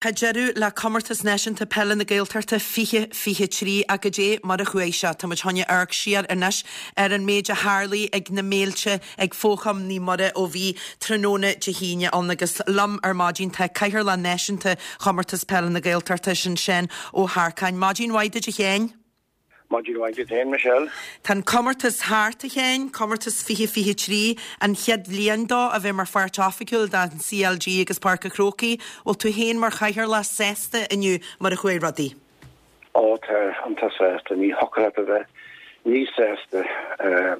Tá deireadh le Comórtas Náisiúnta Peile na Gaeltachta 2023 ach goidé mar a chuaigh sé? Tá muid chun amharc siar anois ar an méid a tharlaigh ag na béilte ag Fócham Naomh Muire ó bhí tráthnóna Dé hAoine ann agus liom ar maidin tá Cathaoirleach Náisiúnta Chomórtas Peile na Gaeltachta, sin Seán Ó hEarcáin. Maidin mhaith duit a Sheáin. Maidin mhaith duit féin, Michelle. Tá an comórtas thart, a Sheáin, comórtas 2023, an chéad bhliain dó a bheith mar pháirt oifigiúil den CLG agus Páirc an Chrócaigh. Bhfuil tú féin mar chathaoirleach sásta inniu mar a chuaigh rudaí? Ó tá, iontach sásta. Ní thiocfadh leat a bheith níos sásta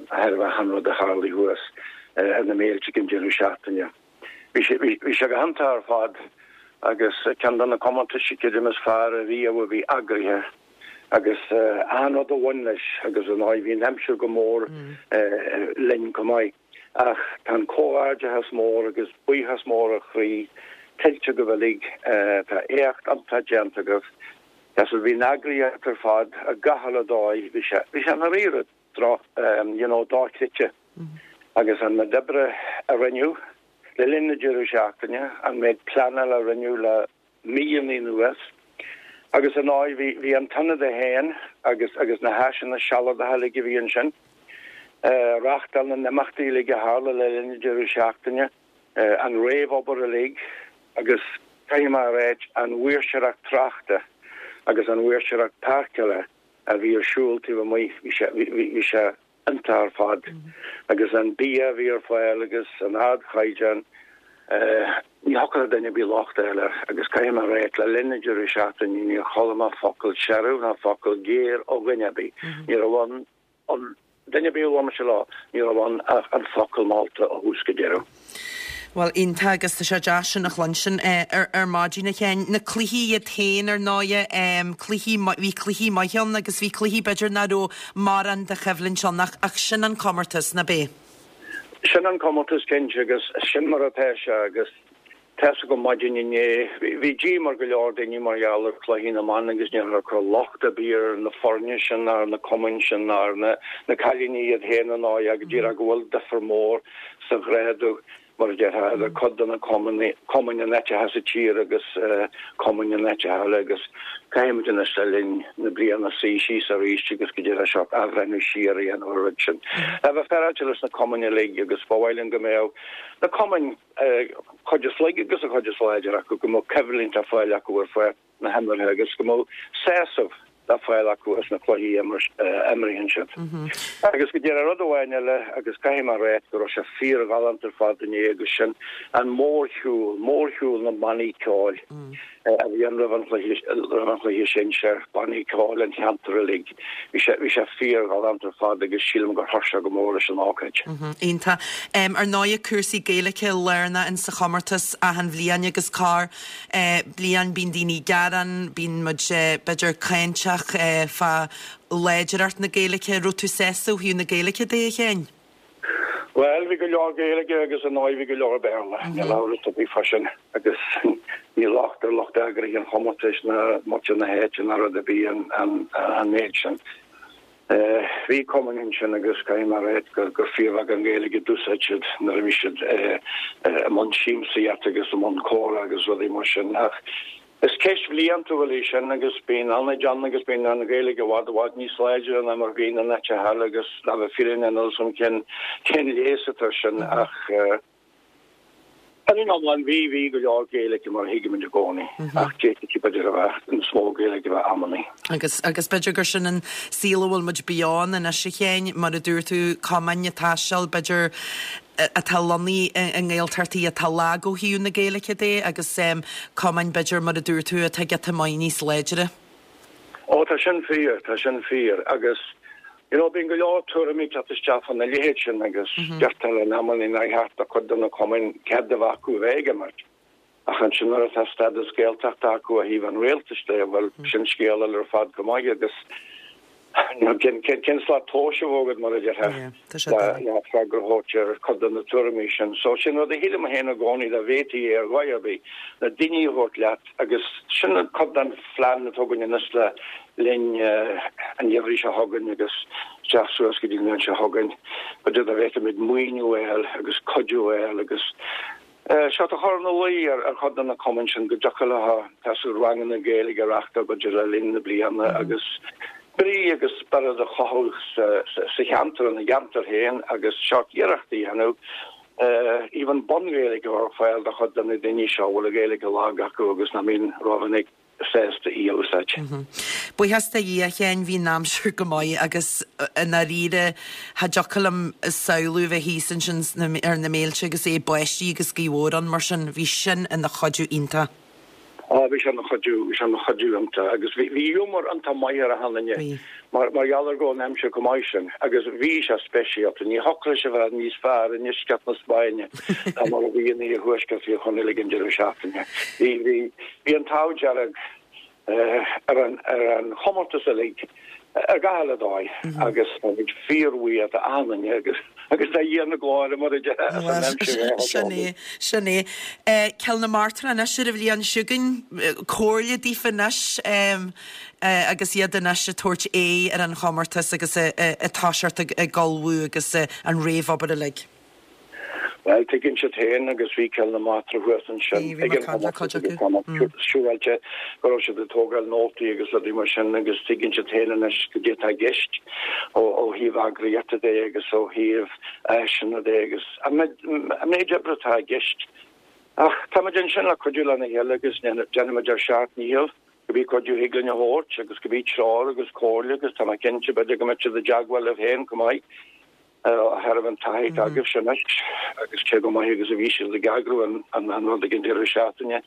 thairbhe achan rud a tharlaigh thuas ar na béilte ag an deireadh seachtaine. Bhí sé, bhí sé go hiontach ar fad agus ceann de na comórtais creidim is fearr ariamh a bhí eagraithe agus achan rud a bhain leis agus ar ndóigh bhí an aimsir go mór linn chomh maith. Ach tá an comhghairdeachas mór agus buíochas mór ó chroí tuillte agaibh uilig, tá éacht iontach déanta agaibh. Agus bhí an eagraíocht ar fad ar gach uile dóigh, bhí sé, bhí sé i ndáiríre droch, you know, dochreidte. Agus an méid oibre a rinneadh le linn na deireadh seachtaine, an méid pleanála a rinneadh le míonna anuas, agus ar ndóigh bhí, bhí an t-ionad é féin agus, agus na háiseanna sealadacha uilig a bhí ansin, reáchtáil na n-imeachtaí uilig a tharla le linn na deireadh seachtaine, an réamhobair uilig agus caithfidh mé a ráit, an mhaoirseoireacht tráchta agus an mhaoirseoireacht páirceála a bhí ar siúl taobh amuigh, bhí sé, bhí sé iontach ar fad. Agus an bia a bhí ar fáil agus an ardchaighdeán, ní thiocfadh le duine ar bith locht a fháil air. Agus caithfidh mé a ráit, le linn na deireadh seachtaine níor chuala mé focal searbh ná focal géar ó dhuine ar bith. Ní raibh ann an duine ar bith a bhuail mise leo, ní raibh ann ach an focal molta ó thús go deireadh. Bhuel, iontach agus tá sé deas sin a chluinstin ar ar maidin a Sheáin. Na cluichí iad féin ar ndóighe, cluichí, bhí cluichí maithe ann agus bhí cluichí b'fhéidir nach raibh mórán de choimhlint ann ach ach sin an comórtas, ná b'é? Sin an comórtas cinnte agus sin mar atá sé agus tá's agam maidin inné, bhí díoma ar go leor daoine mar gheall ar chluichí na mban agus níl ag cur locht ar bith ar na foirne sin ná ar na cumainn sin ná ar na na cailíní iad féin ar ndóigh ach díreach go bhfuil difear mór sa ghrádú, mar a déarfá, idir cuid de na cumainn in áiteacha sa tír agus cumainn in áiteacha eile agus caithfidh muid anois le linn na bliana suí síos arís agus go díreach seo athbhreithniú siar a dhéanamh ar an rud sin. Le bheith féaráilte leis na cumainn uilig agus ba mhaith linn go mbeadh na cumainn, cuid is laige agus an chuid is láidre acu, go mbeadh coimhlint ar fáil acu ar pháirc na himeartha agus go mbeadh sásamh le fáil acu as na cluichí a imríonn siad. Agus go díreach rud amháin eile, agus caithfidh mé a ráit go raibh sé fíorghalánta ar fad inné agus sin an mórshiúl, mórshiúl na mbannaí ceoil a bhí ann roimh an chluiche, roimh an chluiche sinsir, bannaí ceoil an cheantair uilig. Bhí sé, bhí sé fíorghalánta ar fad agus sílim gur chuir sé go mór leis an ócáid. Iontach. Ar ndóighe cúrsaí Gaeilge lárnach in sa chomórtas achan bhliain agus corr bliain bíonn daoine ag gearán, bíonn muid b'fhéidir cáinteach fá láidreacht na Gaeilge. Raibh tú sásta ó thaobh na Gaeilge de, a Sheáin? Bhuel, bhí go leor Gaeilge agus ar ndóigh bhí go leor Béarla, níl amhras ar bith fá sin agus ní locht ar lucht eagraithe an chomórtais ná muintir na háite ná rud ar bith an méid sin. Bhí cumainn ansin agus caithfidh mé a ráit gur fíorbheagán Gaeilge a d'úsáid siad nuair a bhí siad i mbun siamsaíochta agus i mbun comhrá agus rudaí mar sin. Ach is ceist bhliantúil í sin agus bíonn ionaid ann agus bíonn an Ghaeilge i bhfad i bhfad níos láidre ná mar a bhíonn in áiteacha eile agus le bheith fírinneach níl 'fhios a'm cén cén leigheas atá air sin ach Ar an iomlán, bhí, bhí go leor Gaeilge mar a thuigimid i gcónaí, ach d'fhéadfadh b'fhéidir a bheith níos mó Gaeilge a bheith amannaí. Agus, agus b'fhéidir gur sin an saol a bhfuil muid beo ann anois, a Sheáin, mar a dúirt tú, cumainn ag taisteal, b'fhéidir, atá lonnaithe i nGaeltachtaí atá lag ó thaobh na Gaeilge de agus cumainn, b'fhéidir, mar a dúirt tú, atá giota maith níos láidre. Ó, tá sin fíor, tá sin fíor. Agus, you know, bíonn go leor tuairimí ag teacht isteach fá na leithéid sin agus deirtear in amannaí nár cheart do chuid de na cumainn cead a bheith acu a bheith ag imirt. Ach ansin nuair atá stádas Gaeltachta acu ó thaobh an rialtais de, bhuel, sin scéal eile ar fad go maith agus, you know, cén, cén, cén slat tomhais a bheadh agat, mar a déarfá, le freagra a thabhairt ar chuid de na tuairimí sin. So sin rud a shílim féin i gcónaí dá bhféadfaí é ar dhóigh ar bith, na daoine a thabhairt leat, Agus sin cuid den phlean atá againn anois le linn an gheimhridh seo chugainn agus isteach suas go dtí an bhliain seo chugainn, b'fhéidir dá bhféadfaimid maoiniú a fháil agus cuidiú a fháil agus. Seo a chur ina luí ar chuid de na cumainn sin go dtiocfadh leo tá ranganna Gaeilge a reáchtáil b'fhéidir le linn na bliana agus brí agus spiorad a chothú sa cheantar, ina gceantar féin agus seort iarrachtaí a dhéanamh even bun-Ghaeilge a chur ar fáil do chuid de na daoine seo a bhfuil an Ghaeilge lag acu agus nach mbíonn rómhinic sásta í a úsáid. Buíochas do Dhia, a Sheáin, bhí an aimsir go maith agus i ndáiríre cha dtiocfadh liom samhlú bheith thíos ansin ar na méilte agus é ag báistí agus gaoth mhór ann mar sin, bhí sin ina chuidiú iontach. Á, bhí sé ina chuidiú, bhí sé ina chuidiú iontach agus bhí, bhí giúmar iontach maith ar achan duine Bhí. mar, mar gheall ar go raibh an aimsir chomh maith sin agus bhí sé speisialta, ní thiocfadh leis a bheith níos fearr i ndeisceart na Spáinne ná mar a bhí in iarthuaisceart Thír Chonaill ag an deireadh seachtaine. Bhí, bhí, Bhí an t-ádh dearg ar an chomórtas uilig ar gach uile dóigh agus táimid fíorbhuíoch d'achan duine agus agus do Dhia na glóire mar a déarfá as an aimsir a Sin é, sin é. Cill na Martra anois ar an bhliain seo chugainn, comhairle daofa anois agus iad anois ag tabhairt aghaidh ar an chomórtas agus ag toiseacht ag ullmhú agus an réamhobair uilig. Bhuel, tuigeann siad féin agus bhí Cill na Martra thuas ansin ag an chomórtas agus tá mé siúráilte go raibh siad ag tógáil nótaí agus rudaí mar sin agus tuigeann siad féin anois goidé atá i gceist ó thaobh eagraíochta de agus ó thaobh áiseanna de agus an méid oibre atá i gceist. Ach táimid ansin le cuidiú lena chéile agus déanfaimid ár seacht ndícheall cibé cuidiú a thig linn a thabhairt agus cibé treoir agus comhairle agus tá mé cinnte b'fhéidir go mbeidh siad i dteagmháil libh féin chomh maith. Ó thaobh an taithí atá agaibhse anois agus cé chomh maith agus a bhí siad ag eagrú an rud ag an deireadh seachtaine.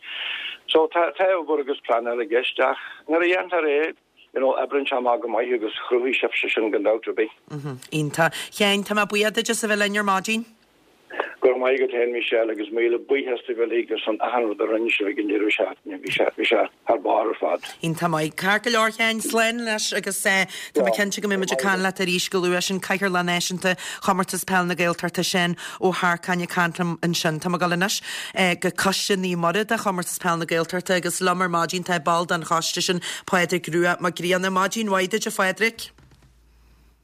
So tá tá obair agus pleanáil i gceist ach nuair a dhéantar é, you know, oibríonn sé amach go maith agus chruthaigh sibhse sin gan dabht ar bith. Iontach. Sheáin, tá mé buíoch duit as a bheith linn ar maidin. Go raibh maith agat féin, Michelle, agus míle buíochas daoibh uilig ar son achan rud a rinne sibh ag an deireadh seachtaine. Bhí sé, bhí sé thar barr ar fad. Iontach maith. Ceart go leor, Sheáin, slán anois agus tá mé cinnte go mbeidh muid ag caint leat arís go luath. Sin Cathaoirleach Náisiúnta Chomórtas Peile na Gaeltachta, Seán Ó hEarcáin ag caint liom ansin. Tá mé ag dul anois go Coiste Naomh Muire de Chomórtas Peile na Gaeltachta agus liom ar maidin tá ball den choiste sin, Pádraig Rua Mac Grianna. Maidin mhaith duit, a Phádraig.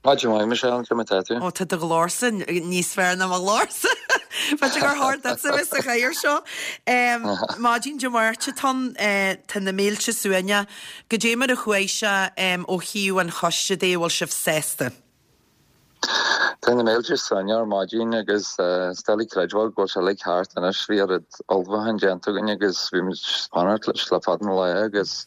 Maidin mhaith, Michelle, cén mar atá tú? Ó, tá do ghlórsa níos fearr ná mo ghlórsa. B'fhéidir gur chóir duitse a bheith sa chathaoir seo. Maidin Dé Máirt atá ann, tá na mílte suaimhneach. Goidé mar a chuaigh sé ó thaobh an choiste de, an bhfuil sibh sásta? Tá na mílte suaimhneach ar maidin agus is doiligh creidbheáil go bhfuil sé uilig thart anois. Bhí oiread ullmhúcháin déanta againn agus bhí muid ag fanacht leis le fada an lá agus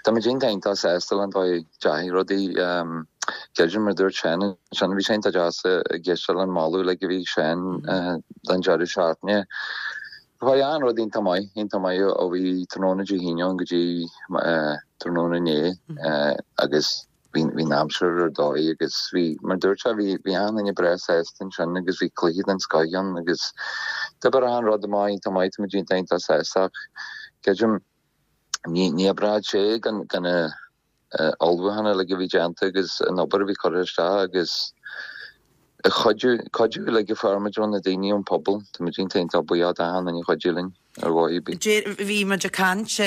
táimid iontach iontach sásta le an dóigh a ndeachaigh rudaí. Creidim, mar a dúirt Seán ansin, bhí sé iontach deas ag éisteacht leis an moladh uilig a bhí ag Seán don deireadh seachtaine. Chuaigh achan rud iontach maith, iontach maith ó bhí tráthnóna Dé hAoine ann go dtí tráthnóna inné agus bhí an aimsir ar dóigh agus bhí, mar a dúirt sé, bhí bhí achan duine breá sásta ansin agus bhí cluiche den scoth ann agus d'oibir achan rud amach iontach maith, tá muid iontach iontach sásta ach creidim ní ní oibreodh sé gan gan na ullmhúcháin uilig a bhí déanta agus an obair a bhí curtha isteach agus cuidiú, cuidiú uilig a fuair muid ó na daoine ón pobal. Tá muid iontach iontach buíoch d'achan duine a chuidigh linn ar dhóigh ar bith. Bhí muid ag caint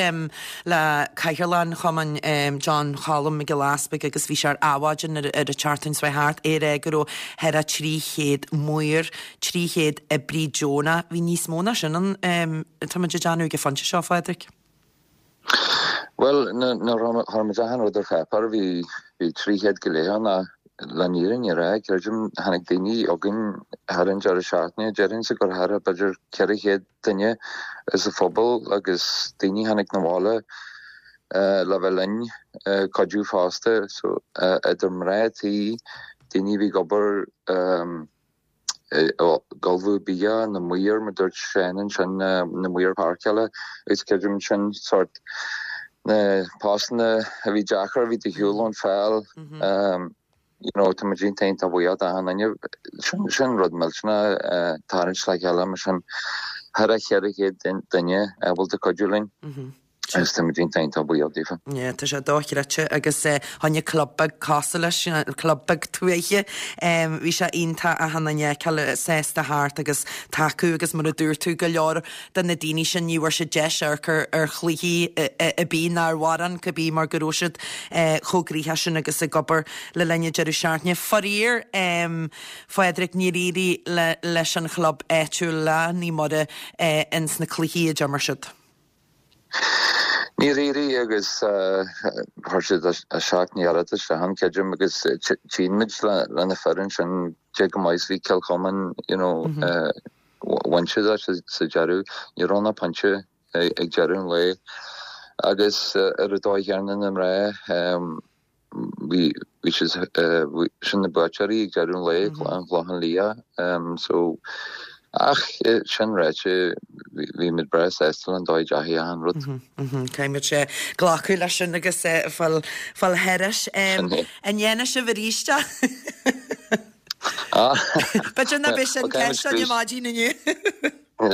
le Cathaoirleach an Chumainn, John Cholm Mac Giolla Easpaig agus bhí sé ar Adhmhaidin ar an tseachtain seo thart, é ag rá go raibh thar a 300 maor, 300 oibrí deonach. Bhí níos mó ná sin ann, tá muid ag déanamh ag an phointe seo, a Phádraig. Bhuel, nuair a chuir muid achan rud ar pháipéar, bhí 300 go leith ann ach le an fhírinne a rá, creidim, tháinig daoine chugainn thar an deireadh seachtaine, déarfainnse gur thar b'fhéidir 400 duine as an phobal agus daoine a tháinig 'na bhaile le bheith linn, cuidiú fosta. So, idir mná tí, daoine a bhí ag obair, ag ullmhú bia, na maoir, mar dúirt Seán ansin, na maoir páirceála agus creidim sin sórt na postanna a bhí deacair, a bhí de shiúl ón pheil, you know, tá muid iontach iontach buíoch d'achan duine. Sin, sin rud millteanach, tarraingt le chéile mar sin, thar a 400 duine ábalta cuidiú linn. Dochreidte. Agus táimid iontach iontach buíoch daofa. Yeah, tá sé dochreidte agus fá choinne club beag cosúil leis, club beag tuaithe, bhí sé iontach achan duine a fheiceáil sásta thart agus tacú agus mar a dúirt tú, go leor de na daoine sin ní bhfuair siad deis amharc ar ar chluichí ar bith ná ar mhórán cibé mar go raibh siad chomh gnoitheach sin agus ag obair le linn an deireadh seachtaine. Faraor, Phádraig, níor éirigh leis an chlub áitiúil le Naomh Muire ins na cluichí a d'imir siad. Níor éirigh agus chuir siad a seacht n-iarracht isteach ann, creidim, agus tchíonn muid le na fir ansin cé chomh maith is bhí Cill Chomáin, you know, bhain siad é sa deireadh. Ní raibh ach pointe ag deireadh an lae agus ar an dóigh chéanna na mná, bhí siad sin na buaiteoirí ag deireadh an lae, an Clochán Liath. So, ach sin ráite, bhí muid breá sásta le an dóigh a dteachaigh achan rud. Caithfidh muid glacadh leis sin agus fáil thairis. An ndéanfaidh sibh arís é? B'fhéidir nach b'é sin ceist ar maidin inniu.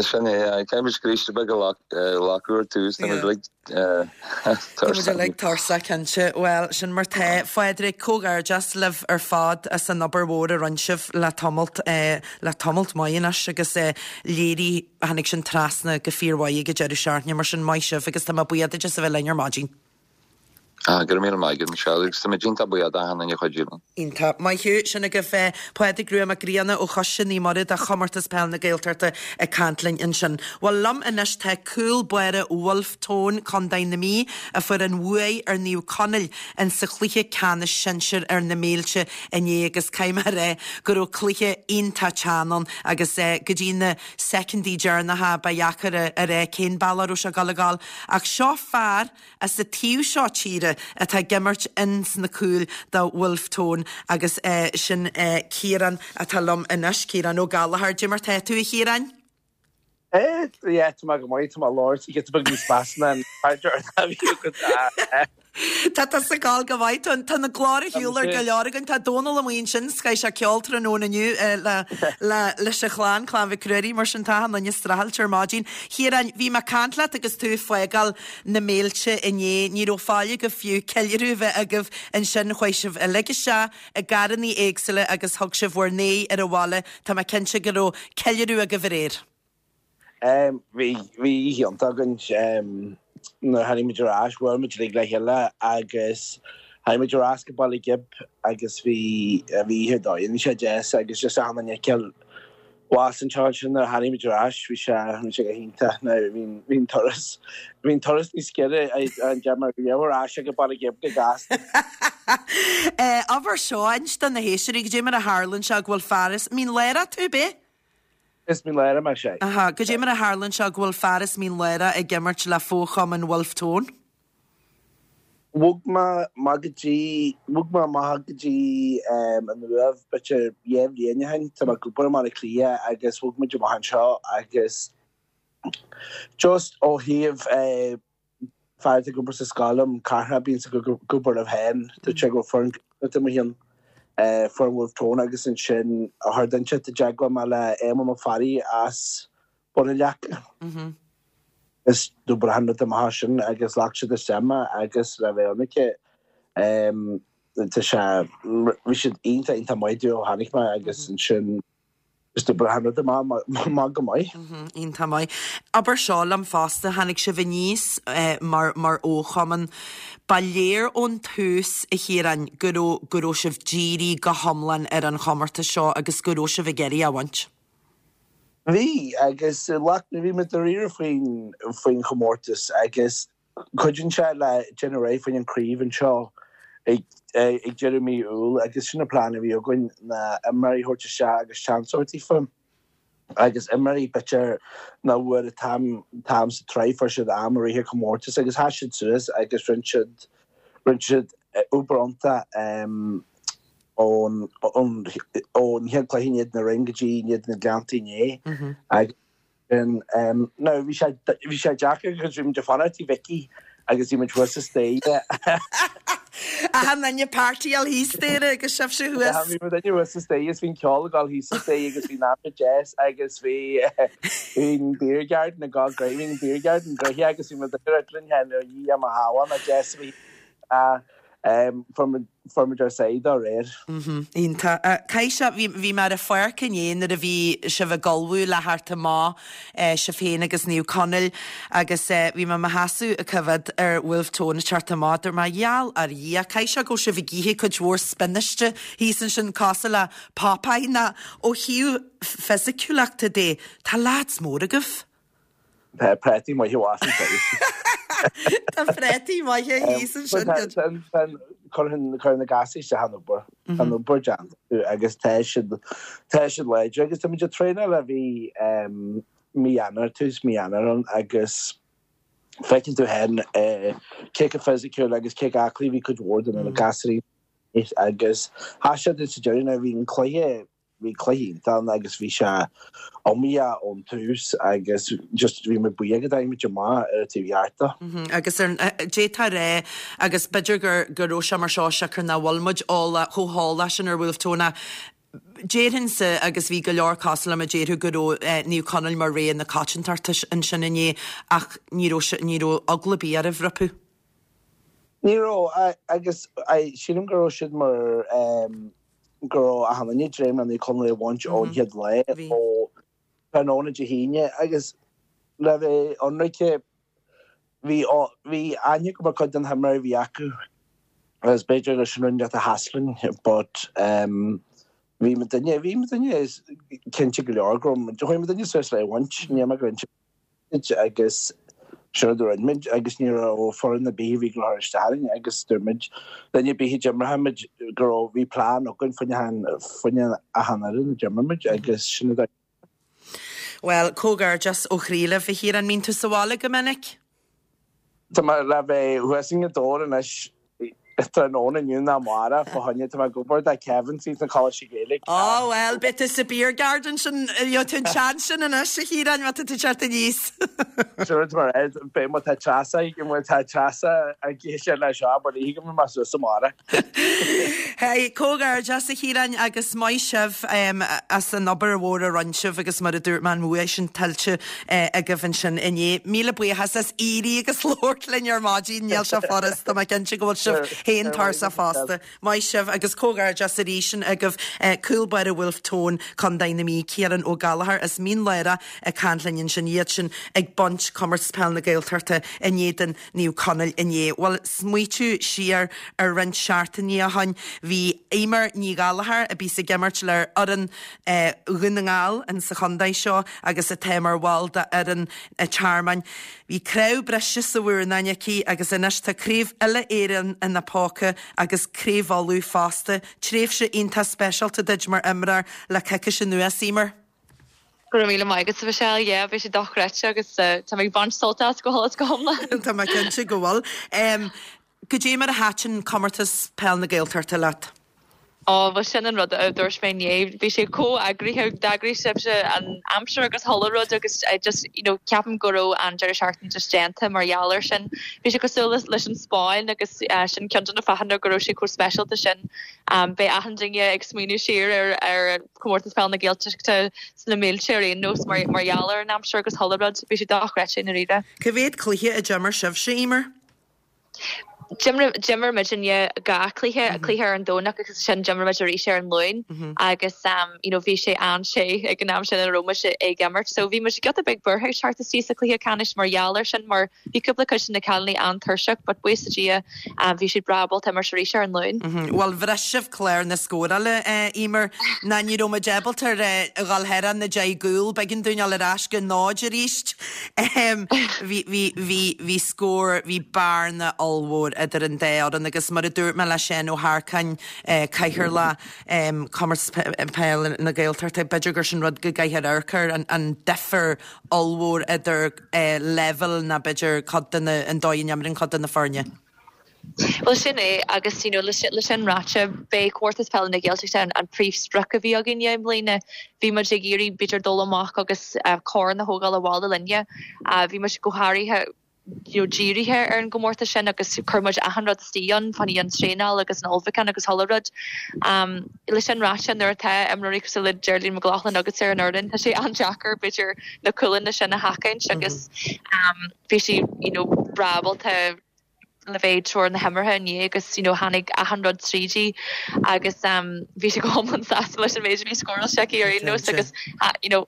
Sin é, caithfidh muid scríste beag a ghlacadh ar tús, tá muid uilig tuirseach. Tá muid uilig tuirseach, cinnte. Bhuel, sin mar tá. Phádraig, comhghairdeas libh ar fad as an obair mhór a rinne sibh le tamalt, le tamalt maith anois agus léirigh, tháinig sin trasna go fíormhaith ag an deireadh seachtaine, mar sin maith sibh agus tá mé buíoch duit as a bheith linn ar maidin. Ah, go raibh míle maith agat, Michelle, agus tá muid iontach buíoch d'achan duine a chuidigh linn. Iontach. Maith thú. Sin agaibh Pádraig Rua Mac Grianna ó Choiste Naomh Muire do Chomórtas Peil na Gaeltachta ag caint linn ansin. Bhuel, liom anois tá cúl báire Bhulf Tón, Contae na Mí, a fuair an bhuaidh ar Naomh Conaill in sa chluiche ceannais sinsir ar na Méilte inné agus caithfidh mé a rá go raibh cluiche iontach teann ann agus go dtí na soicindí deireanacha ba dheacair a rá cén bealach a raibh sé ag dul a ghabháil ach seo fear as an taobh seo tíre atá ag imirt ins na cúil do Bhulf Tón agus sin Ciarán atá liom anois, Ciarán Ó Gallchóir. Dé mar tá tú, a Chiaráin? Eh, yeah, tá mé go maith, tá mé ag labhairt giota beag níos measa ná an cainteoir a bhí agat. Tá tusa ag gabháil go maith. Tá tá na glór ar shiúl ar go leor againn. Tá Dónal amuigh ansin, 's caithfidh sé ceol tráthnóna inniu le le leis an chlann, Clann Mhic Ruairí, mar sin tá achan duine streachailte ar maidin. Chiaráin, bhí mé ag caint leat agus tú ag fágáil na Méilte inné. Ní raibh faill agaibh fiú ceiliúradh a bheith agaibh ansin. Chuaigh sibh uilig isteach i gcarrannaí éagsúla agus thug sibh bhur n-aghaidh ar an bhaile. Tá mé cinnte go raibh ceiliúradh agaibh aréir. Bhí, bhí oíche iontach againn. Nuair a tháinig muid ar ais, bhuail muid uilig le chéile agus tháinig muid ar ais go Baile Ghib agus bhí, bhí oíche ar dóigh ann. Bhí sé deas agus just achan duine a fheiceáil. Bhas anseo ansin nuair a tháinig muid ar ais, bhí sé, bhí sé go hiontach. Now bhí, bhí an turas, bhí an turas níos giorra an deir mar bhí ar ais ag Baile Ghib go gasta. Abair seo, inis do na héisteoirí, goidé mar a tharlaíonn sé go bhfuil fear as Mín Lárach tú, ab é? Is Mín Lárach mé, sea. Aha, goidé mar a tharlaíonn sé go bhfuil fear as Mín Lárach ag imirt le fo-chumann Bhulf Tón? Bhog mé amach go dtí, bhog mé amach go dtí an Uaimh b'fhéidir dhá bhliain ó shin. Tá mé ag obair i mBaile Átha Cliath agus bhog muid amach anseo agus just ó thaobh fear atá ag obair sa scoil liom, Carthach, bíonn ag obair libh féin, dúirt sé go raibh foireann Gaeltachta amuigh ann, foireann Bhulf Tón agus ansin chuir duine inteacht i dteagmháil mé le Éamonn Ó Fearraigh as Bun an Leaca. Is d'obair achan rud amach sin agus ghlac siad isteach mé agus le bheith ionraic tá sé, bhí siad iontach iontach maith domh ó tháinig mé agus ansin is d'obair achan rud amach go maith. Iontach maith. Abair seo liom fosta, tháinig sibh aníos mar mar fhochumann. Ba léir ón tús, a Chiaráin, go raibh go raibh sibh dírithe go hiomlán ar an chomórtas seo agus go raibh sibh ag iarraidh é a bhaint. Bhí, agus like, bhí muid dáiríre faoin, faoin chomórtas agus cuidíonn sé le déanamh réidh faoin an craobh anseo ag, ag deireadh mí Iúil agus sin an plean a bhí againn ná imreoirí a thabhairt isteach agus seans a thabhairt daofa agus imreoirí b'fhéidir nach bhfuair an t-am, t-am sa tsraith, fuair siad am i rith an chomórtais agus sheas siad suas agus rinne siad, rinne siad obair iontach. ón chéad chluiche in éadan na Rinne go dtí in éadan na Gleannta inné. Agus now bhí sé bhí sé deacair because bhí muid ag fanacht i Mhicí agus bhí muid thuas sa staighre. Achan duine ag partyáil thíos staighre agus sibhse thuas. Bhí muidinne thuas sa staighre is bhí an ceol ag dul thíos sa staighre agus bhí an aimsir deas agus bhí bhí an beer garden ag dul great, bhí an beer garden gnoitheach agus bhí muid ag rá linn féin, ó Dhia mo shábháil, nach deas a bhí fuair muid Fuair muid ár sáith dá réir. Iontach. Caithfidh sé, bhí, bhí mé ar an pháirc inné nuair a bhí sibh ag ullmhú le theacht amach, sibh féin agus Naomh Conaill agus bhí mé i mo sheasamh ag coimhéad ar Bhulf Tón ag teacht amach, dúirt mé, gheall ar Dhia, caithfidh sé go bhfuil sibh ag ithe cuid mhór spionaiste thíos ansin cosúil le Popeye nó ó thaobh fisiciúlachta de, tá lads mór agaibh. Tá préataí maithe abhus ansin. Tá préataí maithe thíos ansin. Cuireann na gasúir isteach an obair. Tá an obair déanta acu agus tá siad tá siad láidir agus tá muid ag traenáil ó bhí mí Eanáir, tús mí Eanáir ann agus feiceann tú féin cé chomh fisiciúil agus cé chomh aclaí a bhí cuid mhór de na gasúirí agus sheas siad sa deireadh nuair a bhí an cluiche Bhí cluiche iontach ann agus bhí sé iomaíoch ón tús agus just bhí muid buíoch go dtáinig muid amach ar an taobh cheart de. Agus ar d'fhéadfá a rá agus b'fhéidir gur go raibh sé mar seo siocair nach bhfuil muid eolach chomh heolach sin ar Bhulf Tón ach déarfainnse agus bhí go leor cosúil liom a déarfadh go raibh Naomh Conaill mar rogha na coitiantachta ansin inné ach ní raibh ní raibh eagla ar bith oraibh rompu. Ní raibh agus sílim go raibh siad mar go raibh achan duine ag dréim le Naomh Conaill a bhaint ón chéad lá ó tráthnóna Dé hAoine agus le bheith ionraice bhí bhí aithne agam ar cuid de na himreoirí a bhí acu agus b'fhéidir gur sin rud a sheas linn but bhí muidinne bhí muidinne cinnte go leor go raibh chuaigh muidinne suas le é a bhaint ní raibh mé go agus sin rud a rinne muid agus ní raibh foireann ar bith a bhí ag cur isteach orainn agus dúirt muid duine ar bith a d'imreodh muid go raibh bhí plean againn fá choinne fá choinne achan fhoireann a d'imir muid agus sin rud a Bhuel, comhghairdeas ó chroí libh, a Chiaráin. Mbíonn tú sa bhaile go minic? Tá mé le bheith thuas i nGaoth Dobhair anois tráthnóna inniu nó amárach fá choinne, tá mé ag obair do Kevin sna Coláistí Gaeilge. Á bhuel, beidh tú sa beer garden sin, gheobhaidh tú an seans sin anois a Chiaráin má tá tú ag teacht aníos. Sin rud mar é, beidh má tá Treasa, má tá Treasa ag éisteacht leis seo, ba léi go mbeidh mé suas amárach. Hey, comhghairdeas a Chiaráin agus maith sibh as an obair mhór a rinne sibh agus mar a dúirt mé an bua sin tuillte agaibh ansin inné. Míle buíochas as éirí agus labhairt linn ar maidin, níl sé furast, tá mé cinnte go bhfuil sibh féin tuirseach fosta. Maith sibh agus comhghairdeas arís agaibh cúl báire Bhulf Tón, Contae na Mí, Ciarán Ó Gallchóir as Mín Lárach ag caint linn ansin, iad sin ag baint Comórtas Peile na Gaeltachta in éadan Naomh Conaill inné. Bhuel, smaoitiú siar ar roinnt seachtainí ó shoin, bhí Eimear Ní Ghallchóir, a bíos ag imirt le fhoireann Dhún na nGall in sa chontae seo agus atá mar bhall de fhoireann an Tearmainn. Bhí cnámh briste sa mhurnán aici agus anois tá Craobh Uile-Éireann ina póca agus Craobh Uladh fosta. Tréimhse iontach speisialta duit mar imreoir le coicís anuas, Eimear. Go raibh míle maith agat, a Mhichelle. Yeah, bhí sé dochreidte agus tá mé ag baint sult as go huile is go hiomlán. Tá mé cinnte go bhfuil. Goidé mar a thaitin Comórtas Peil na Gaeltachta leat? Ó, bhuel sin an rud a dúirt mé inné. Bhí sé chomh eagraithe, d'eagraigh sibhse an aimsir agus chuile rud agus I just, you know, ceapaim go raibh an deireadh seachtaine just déanta mar gheall air sin. Bhí sé cosúil leis an Spáinn agus sin ceann de na fáthanna go raibh sé chomh speisialta sin. Beidh achan duine ag smaoineamh siar ar ar Comórtas Peile na Gaeltachta sna mílte ar aon nós mar gheall ar an aimsir agus chuile rud. Bhí sé dochreidte i ndáiríre. Cá mhéad cluiche a d'imir sibhse, Eimear? D'imir muidinne 2 cluiche, cluiche ar an Domhnach agus ansin d'imir muid arís ar an Luan agus you know bhí sé an-te ag an am sin a raibh muid ag imirt so bhí muid giota beag buartha ag teacht isteach sa chluiche ceannais mar gheall air sin mar Bhí cúpla cuid de na cailíní an-tuirseach but buíochas le Dia bhí siad breá ábalta imirt arís ar an Luan. Bhuel bhris sibh clár na scórála, a Eimear, ná ní raibh muid ábalta a dhul thar an 10 gcúl, b'éigean dúinn dul ar ais go náid arís. Bhí, bhí, bhí, bhí scór, bhí bearna ollmhór idir an dá fhoireann agus mar a dúirt mé le Seán Ó hEarcáin, Cathaoirleach Comórtas Peile na Gaeltachta, b'fhéidir gur sin rud go gcaithfear amharc air, an difear ollmhór idir leibhéal ná b'fhéidir cuid de na, an dóigh a n-imríonn cuid de na foirne. Bhuel sin é agus you know le sin ráite b'é Comórtas Peile na Gaeltachta an príomhsprioc a bhí againne i mbliana. Bhí muid ag iarraidh b'fhéidir dul amach agus corn a thógáil abhaile linne. Bhí muid go háirithe. you know dírithe ar an gcomórtas sin agus chuir muid achan rud istigh ann, fá choinne an traenáil agus an ullmhúchán agus chuile rud. Leis sin ráite, nuair atá imreoirí cosúil le Geraldine McLaughlin agatsa ar an fhoireann, tá sé an-deacair b'fhéidir na cúlanna sin a sheachaint agus bhí sí you know breá ábalta le bheith ag treoir na himeartha inné agus you know tháinig achan rud tríd í agus bhí sí go hiomlán sásta leis an méid a bhí scóráilte aici ar aon nós agus you know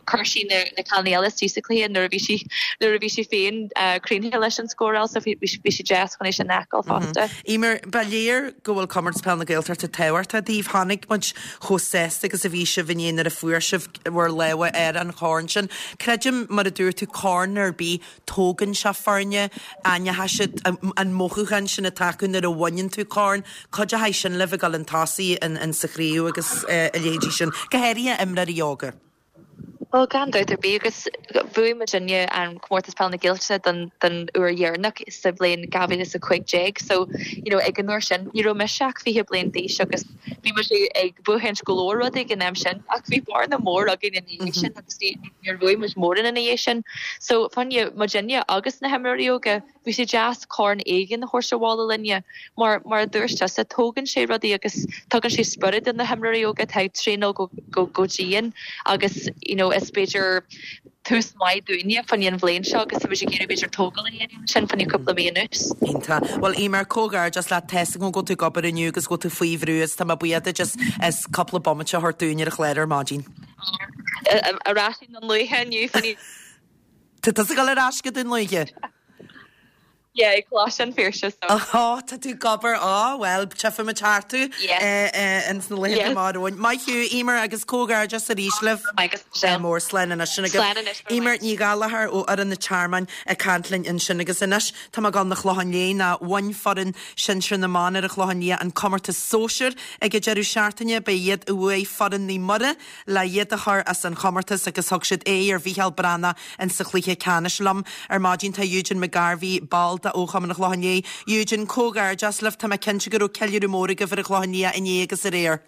chuir sí na na cailíní eile istigh sa chluiche nuair a bhí sí nuair a bhí sí féin críochnaithe leis an scóráil so bhí bhí sé deas chun é sin a fheiceáil fosta. Eimear, ba léir go bhfuil Comórtas Peile na Gaeltachta tábhachtach daoibh. Chonaic muid chomh sásta agus a bhí sibh inné nuair a fuair sibh bhur lámha ar an chorn sin. Creidim, mar a dúirt tú, corn ar bith, tógann sé foirne, aithneoidh siad an mothúchán sin atá acu nuair a bhaineann tú corn. Cuideoidh sin libh ag dul chun tosaigh in sa chraobh agus a leithéidí sin, go háirithe imreoirí óga. Bhuel, gan dabht ar bith, agus bhuaigh muidinne an Comórtas Peile na Gaeltachta don don uair dheireanach sa bhliain 2015 so, you know, ag an uair sin, ní raibh mise ach 20 bliain d'aois agus bhí muid ag buachaint go leor rudaí ag an am sin ach bhí bearna mór againn ina dhiaidh sin agus ní níor bhuaigh muid mórán ina dhiaidh sin. So, fá choinne muidinne agus na himreoirí óga, Bhí sé deas corn éigin a thabhairt abhaile linne mar, mar a dúirt tusa, tógann sé rudaí agus tugann sé spiorad do na himreoirí óga atá ag traenáil go, go, go dian agus you know is b'fhéidir tús maith dúinne fá choinne an bhliain seo agus tá muid ag iarraidh b'fhéidir tógáil a dhéanamh ansin fá choinne cúpla mí anuas. Iontach. Bhuel Eimear, comhghairdeas leat, tá's agam go bhfuil tú ag obair inniu agus go bhfuil tú faoi bhrú agus tá mé buíoch duit as, as cúpla bomaite a thabhairt dúinn ar an chlár ar maidin. Ar ais i nDún Lúiche inniu fá choinne. Tá tusa ag dul ar ais go Dún Lúiche? Yeah, ag Coláiste an Phiarsaigh so. Ó, tá tú ag obair, á, bhuel, tchífidh muid thart tú ins na laethanta amach romhainn. Maith thú, Eimear, agus comhghairdeas arís libh. Maith agat, Michelle. Mór, slán anois. Sin agaibh. Slán anois, Eimear Ní Ghallchóir ó fhoireann an Tearmainn ag caint linn ansin agus anois tá mé ag dul 'na Clochán Liath nó bhain foireann sinsir na mban ar an Chlochán Liath an comórtas sóisir ag an deireadh seachtaine. Ba iad a bhuaigh foireann Naomh Muire le iad a chur as an chomórtas agus thug siad aghaidh ar Mhícheál Breathnach in sa chluiche ceannais. Liom ar maidin tá Eugene McGarvey, ball de Chumann an Chlocháin Léith. Eugene, comhghairdeas libh, tá mé cinnte go raibh ceiliúradh mór agaibh ar an Chlochán Liath inné agus aréir.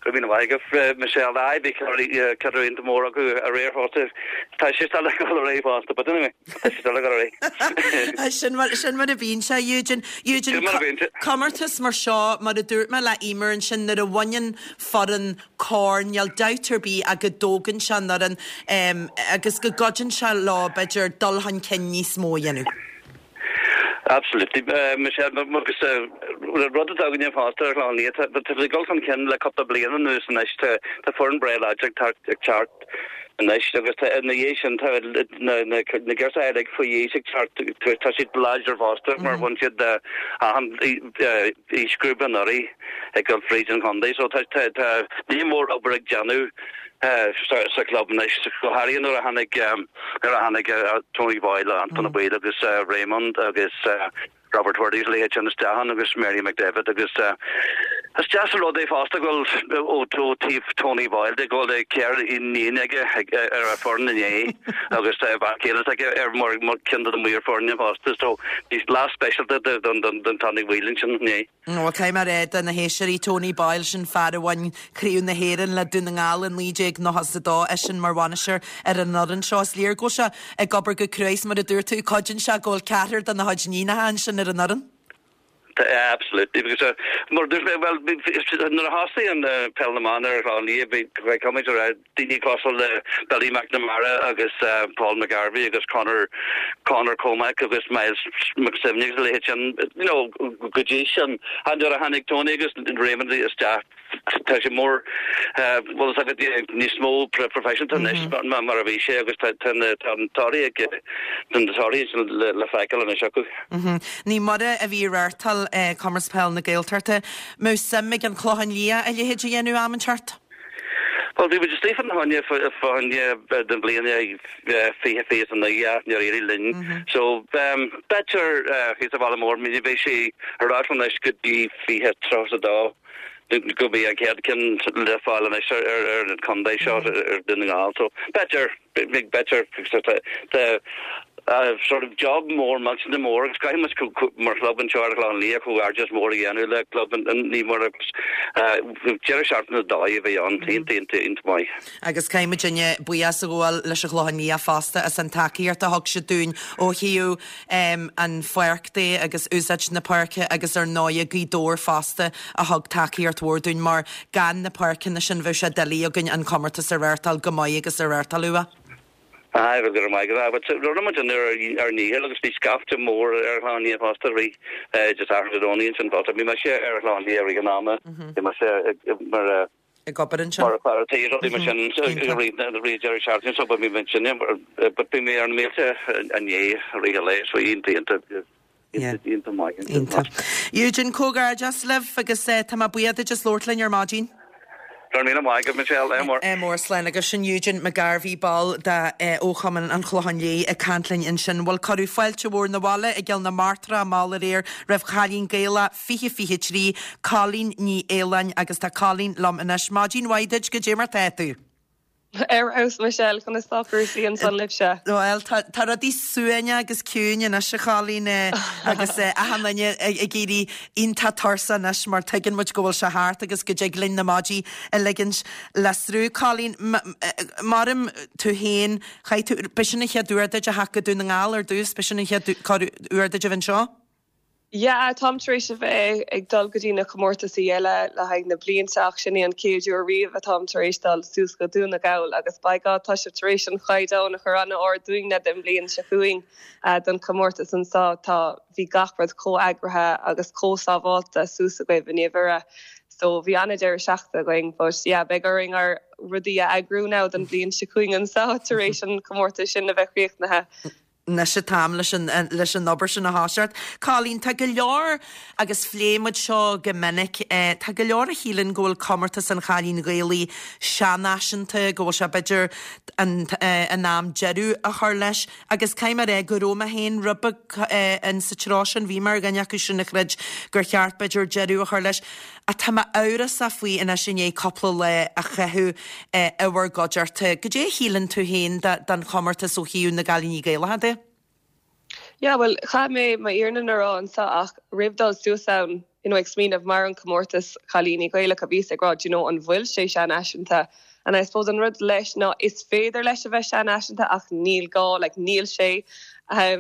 Go raibh míle maith agat, Michelle. Aye, bhí ceiliúradh iontach mór acu aréir fosta. Tá sé still ag dul ar aghaidh fosta, but anyway, tá sé still ag dul ar aghaidh. Sin mar, sin mar a bhíonn sé, Eugene. Eugene, Sin mar a bhíonn sé. comórtas mar seo, mar a dúirt mé le Eimear ansin, nuair a bhaineann foireann corn, níl dabht ar bith ach go dtógann sé an fhoireann agus go gcuidíonn sé leo, b'fhéidir, dul chun cinn níos mó a dhéanamh. Absolutely. Michelle, agus rud atá againne fosta ar Chlochán Liath, tá ag dul chun cinn le cúpla bliain anuas anois, tá foireann breá láidir ag teacht anois agus tá ina dhiaidh sin tá na na girseachaí uilig faoi aois ag teacht, tá siad láidir fosta mar bhain siad achan aoisghrúpa anuraidh. ag dul fríd an chontae so tá tá ní mór obair ag déanamh sa sa club anois go háirithe nuair a tháinig nuair a tháinig Tony Boyle Anton Boyle agus Raymond agus Robert Wordie agus a leithéid sin isteach ann agus Mary McDevitt agus is deas an rud é fosta go bhfuil ó ó taobh Tony Boyle de go bhfuil ceithre iníon aige ar a foireann inné agus tá bean chéile aige ar mar mar ceann de na maoir foirne fosta so bhí lá speisialta don don don Tony Boyle ansin inné. Bhuel, caithfidh mé a rá do na héisteoirí, Tony Boyle, sin fear a bhain Craobh na hÉireann le Dún na nGall i 1992, eisean mar bhainisteoir ar an fhoireann seo. Is léir go bhfuil sé ag obair go crua is mar a dúirt tú, cuidíonn sé go bhfuil ceathrar dena chuid iníonacha ansin ar an fhoireann. Absolutely, because mar a dúirt mé, bhuel, nuair a thosaigh an Peil na mBan ar an Chlochán Liath, bhí, caithfidh mé a rá, daoine cosúil le Billy McNamara agus Paul McGarvey agus Conor Conor Comack agus Myles McSwiney agus a leithéid sin, you know, go dtí sin. And nuair a tháinig Tony agus Raymond isteach, tá sé mór, bhfuil fhios agat, níos mó proifisiúnta anois ná mar a bhí sé agus tá na torthaí ag, na torthaí le feiceáil anois acu. Naomh Muire a bhí ag reáchtáil Comórtas Peile na Gaeltachta. Mbeadh suim ag an Chlochán Liath a leithéid a dhéanamh am inteacht? Bhuel, bhí muid istigh fá choinne fá choinne don bhliain 2029 ach níor éirigh linn. So, b'fhéidir thíos sa Bhaile Mór, ní bheidh sé ar ais anois go dtí 2032 go mbeidh an chéad ceann le fáil anois ar ar an chontae seo ar Dún na nGall. So, b'fhéidir, b'fhéidir, tá. Sort of job mór, millteanach mór agus caithfidh muid mar chlub anseo ar an Chlochán Liath comhghairdeas mór a dhéanamh le club Naomh Muire agus deireadh seachtaine ar dóigh a bhí ann, iontach, iontach, iontach maith. Agus caithfidh muidinne buíochas a ghabháil leis an Chlochán Liath fosta as an tacaíocht a thug siad dúinn ó thaobh an pháirc de agus úsáid na páirce agus ar ndóighe Gaoth Dobhair fosta a thug tacaíocht mhór dúinn mar gan na páirceanna sin bheadh sé doiligh againn an comórtas a reáchtáil go maith agus a reáchtáil uaidh. Aye, bhuel, go raibh maith agat. But rinne muid an ár ndícheall agus bhí scaifte mór ar an Chlochán Liath fosta i rith just Satharn Dé Domhnaigh ansin fosta. Bhí mise ar an Chlochán Liath i rith an ama. Bhí mise mar ag obair ansin. Mar fear tí rudaí mar sin i rith an deireadh seachtaine so bhí mé ansin but bhí mé ar na mílte inné i rith an lae so iontach iontach iontach maith. Iontach. Eugene, comhghairdeas libh agus tá mé buíoch duit as labhairt linn ar maidin. Go raibh míle maith agat, Michelle. Ádh mór. Ádh mór, slán. Agus sin Eugene McGarvey, ball de Fhochumann an Chlocháin Léith ag caint linn ansin. Bhuel, cuireadh fáilte mhór 'na bhaile i gCill na Martra mall aréir roimh Chailín Gaelach 2023, Colleen Ní Fhaoláin agus tá Colleen liom anois. Maidin mhaith duit, goidé mar tá tú? Ar fheabhas Michelle, conas tá cúrsaí ansan libhse? Bhuel, tá tá rudaí suaimhneach agus ciúin anois a Cholleen agus achan duine ag éirí iontach tuirseach anois mar tuigeann muid go bhfuil sé thart agus go dtig linn na maidí a ligint le sruth. Colleen, maram tú féin, chaith tú, b'shin an chéad uair duit a theacht go Dún na nGall ar dtús, b'shin an chéad uair duit a bheith anseo? Yeah, táim tar éis a bheith ag dul go dtí na comórtasaí eile le haghaidh na blianta ach sin é an chéad uair riamh atáim tar éis dul suas go Dún na Gall agus by God tá sibh tar éis an chaighdeán a chur an-ard dúinne don bhliain seo chugainn don chomórtas anseo. Tá, bhí gach rud chomh eagraithe agus chomh sábháilte suas agaibh i Naomh Mhuire so bhí an-deireadh seachtaine againn but yeah beidh orainn ár rudaí a eagrú now don bhliain seo chugainn anseo tar éis an comórtas sin a bheith críochnaithe. Anois an t-am leis an leis an obair sin a thoiseacht. Colleen, tá go leor, agus phléigh muid seo go minic, tá go leor a shíleann go bhfuil comórtas an Chailín Ghaelaigh seanfhaiseanta, go bhfuil sé b'fhéidir an in am deireadh a chur leis agus caithfidh mé a rá go raibh mé féin rud beag in sa treo sin, bhí mé ar dhuine acu sin a chreid gur cheart b'fhéidir deireadh a chur leis. Ach tá mé amhrasach faoi anois i ndiaidh cúpla lá a chaitheamh i bhur gcuideachta. Goidé a shíleann tú féin den chomórtas ó thaobh na gCailíní Gaelacha de? Yeah, bhuel, chaith mé m'fhírinne a rá anseo ach roimh dul suas ann, you know, ag smaoineamh mar an comórtas Cailíní Gaelacha, bhíos ag rá, do you know, an bhfuil sé seanfhaiseanta? And I suppose an rud leis ná is féidir leis a bheith seanfhaiseanta ach níl gá, like, níl sé.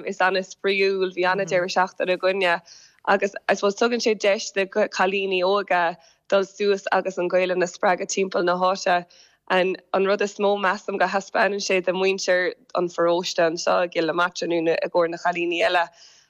Is an-spraíúil, bhí an-deireadh seachtaine againne. Agus I suppose tugann sé deis do chailíní óga dul suas agus an Ghaelainn a spreagadh timpeall na háite. And an rud is mó measaim go thaispeánann sé do mhuintir an pharóiste anseo i gCill na Martra nó i gcomhair na chailíní eile,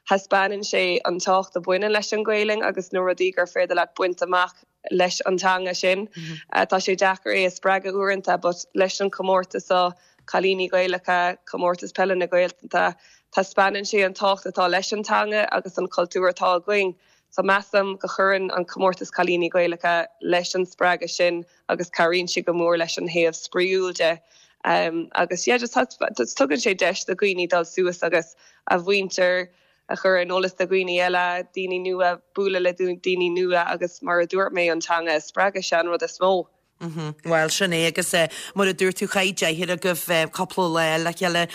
thaispeánann sé an tábhacht a bhaineann leis an Ghaelainn agus na rudaí gur féidir leat baint amach leis an teanga sin. Tá sé deacair é a spreagadh uaireanta but leis an chomórtas seo, Cailíní Gaelacha, Comórtas Peile na Gaeltachta, taispeánann sé an tábhacht atá leis an teanga agus an cultúr atá againn. So measaim go chuireann an Comórtas Cailíní Gaelacha leis an spreagadh sin agus cabhraíonn sé go mór leis an thaobh spraíúil de. Agus yeah just tugann sé deis do dhaoine dul suas agus a mhuintir a chur ar an eolas do dhaoine eile, daoine nua, bualadh le daoine nua agus mar a dúirt mé, an teanga a spreagadh, sé an rud is mó. Bhuel, sin é agus mar a dúirt tú, chaith deichniúr agaibh cúpla lá le chéile,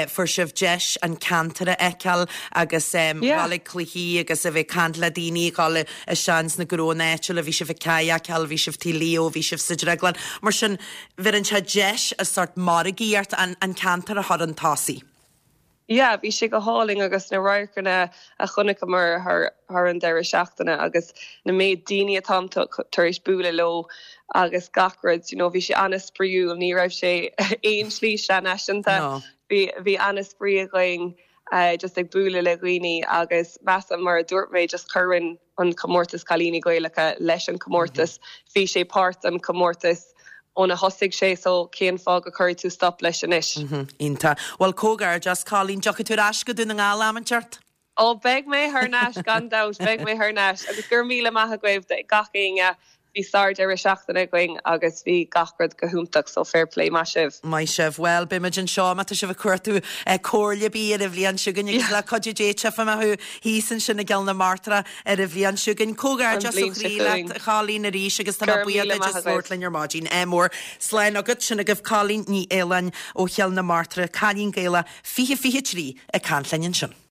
fuair sibh deis an ceantar a fheiceáil agus dhul ag cluichí agus a bheith ag caint le daoine, dhul isteach ins na gnóanna áitiúla, bhí sibh ag cadhcáil, bhí sibh Tigh Leo, bhí sibh sa drioglann. Mar sin, bheireann sé deis a sort margaíocht an ceantar a chur chun tosaigh. Yeah, bhí sé go hálainn agus na radharcanna a chonaiceamar thar thar an deireadh seachtaine agus na méid daoine atáim tar éis bualadh leo agus gach rud, you know, bhí sé an-spraíúil, ní raibh sé aon slí seanfhaiseanta, No. bhí bhí an-spraoi againn just ag bualadh le dhaoine agus measaim mar a dúirt mé just cuireann an comórtas Cailíní Gaelacha leis an comórtas. Bhí sé páirt den comórtas óna thosaigh sé so cén fáth go cuirfidh tú stop leis anois? Iontach. Bhuel, comhghairdeas, Colleen. Dtiocfaidh tú ar ais go Dún na nGall am inteacht? Ó, beidh mé thar n-ais, gan dabht, beidh mé thar n-ais. Agus go raibh míle maith agaibh do gach éinne. Bhí sár-deireadh seachtaine againn agus bhí gach rud go hiontach so fair play, maith sibh. Maith sibh. Bhuel, beidh muid anseo má tá sibh ag cuartú comhairle ar bith ar an bhliain seo chugainn agus le cuidiú Dé tchífidh mé thú thíos ansin i gCill na Martra ar an bhliain seo chugainn. Comhghairdeas ó chroí leat, a Chóilín, arís agus tá mé buíoch duit as labhairt linn ar maidin. Ádh mór. Slán agat. Sin agaibh Cóilín Ní Fhaoláin ó Chill na Martra, Cailín Gaelach 2023 ag caint linn ansin.